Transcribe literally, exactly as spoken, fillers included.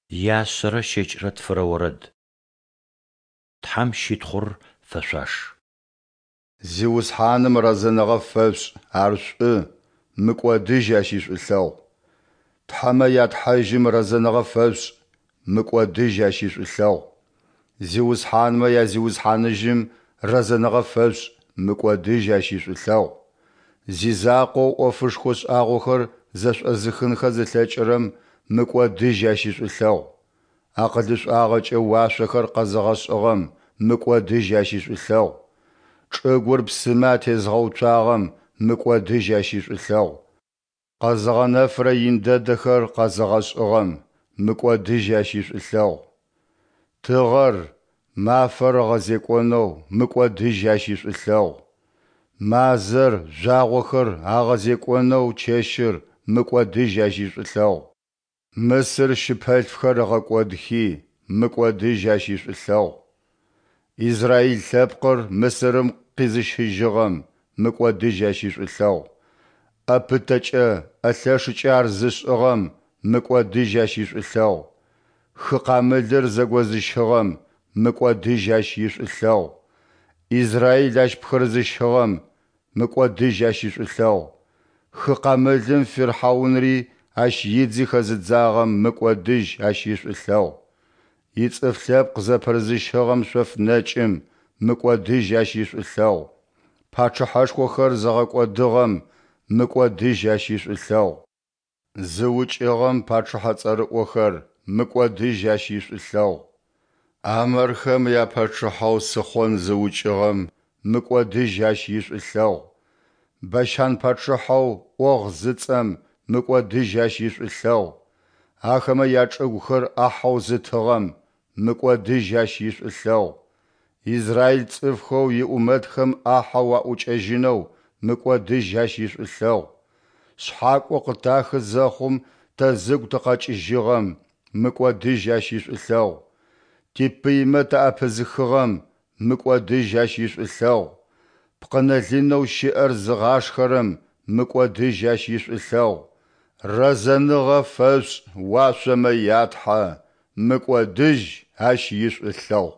Яшъэрэ щэкӏрэ тфырэ орэд. Тхьэм щытхъур фэшъуаш. Зиусхьаным рэзэныгъэ фэшъушӏ, Ар шӏу, мыкӏодыжь Ащ ишӏулъэгъу. Тхьэмэ я Тхьэжьым рэзэныгъэ фэшъушӏ, мыкӏодыжь Ащ ишӏулъэгъу. Зиусхьанмэ я Зиусхьаныжьым рэзэныгъэ фэшъушӏ, мыкӏодыжь Ащ ишӏулъэгъу. Зизакъоу ӏофышхо шӏагъохэр зэшӏозыхынхэ зылъэкӏырэм мыкӏодыжь Ащ ишӏулъэгъу. Акъылышӏуагъэкӏэ уашъохэр къэзыгъэшӏыгъэм мыкӏодыжь Ащ ишӏулъэгъу. Чӏыгур псымэ атезгъэуцуагъэм мыкӏодыжь Ащ ишӏулъэгъу. Къэзыгъэнэфырэ ин дэдэхэр къэзыгъэшӏыгъэм мыкӏодыжь Ащ ишӏулъэгъу. Тыгъэр, мафэр ыгъэзекӏонэу мыкӏодыжь Ащ ишӏулъэгъу. Мазэр, жъуагъохэр агъэзекӏонэу чэщыр мыкӏодыжь Ащ ишӏулъэгъу. Мысыр щыпэлъфхэр ыгъэкӏодхи, мыкӏодыжь Ащ ишӏулъэгъу. Израил лъэпкъыр Мысырым къизыщыжьыгъэм мыкӏодыжь Ащ ишӏулъэгъу. ӏэ пытэкӏэ, ӏэ лъэшыкӏэ ар зышӏыгъэм мыкӏодыжь Ащ ишӏулъэгъу. Хы Къамылыр зэгозыщыгъэм мыкӏодыжь Ащ ишӏулъэгъу. Израил ащ пхырызыщыгъэм мыкӏодыжь Ащ ишӏулъэгъу. Хы Къамылым фирхьаунри ащ идзи хэзыдзагъэм мыкӏодыжь Ащ ишӏулъэгъу. Ицӏыф лъэпкъ зэпырызыщыгъэм шъоф нэкӏым мыкӏодыжь Ащ ишӏулъэгъу. Пачъыхьэшхохэр зыгъэкӏодыгъэм мыкӏодыжь Ащ ишӏулъэгъу. Зыукӏыгъэм пачъыхьэ цӏэрыӏохэр мыкӏодыжь Ащ ишӏулъэгъу. Амэрхэм япачъыхьэу Сыхъон зыукӏыгъэм мыкӏодыжь Ащ ишӏулъэгъу. Бащан пачъыхьэу ӏогъ зыцӏэм мыкӏодыжь Ащ ишӏулъэгъу. Ахэмэ ячӏыгухэр ӏахьэу зытыгъэм мыкӏодыжь Ащ ишӏулъэгъу. Израил цӏыфхэу иӏумэтхэм ӏахьэу аӏукӏэжьынэу мыкӏодыжь Ащ ишӏулъэгъу. Шъхьакӏо къытахы зэхъум тэ зыгу тыкъэкӏыжьыгъэм мыкӏодыжь Ащ ишӏулъэгъу. Типыймэ таӏэпызыхыгъэм мыкӏодыжь Ащ ишӏулъэгъу. Пкъынэ-лынэу щыӏэр зыгъашхэрэм мыкӏодыжь Ащ ишӏулъэгъу. Рэзэныгъэ фэшъушӏ уашъомэ я Тхьэ, мыкӏодыжь Ащ ишӏулъэгъу.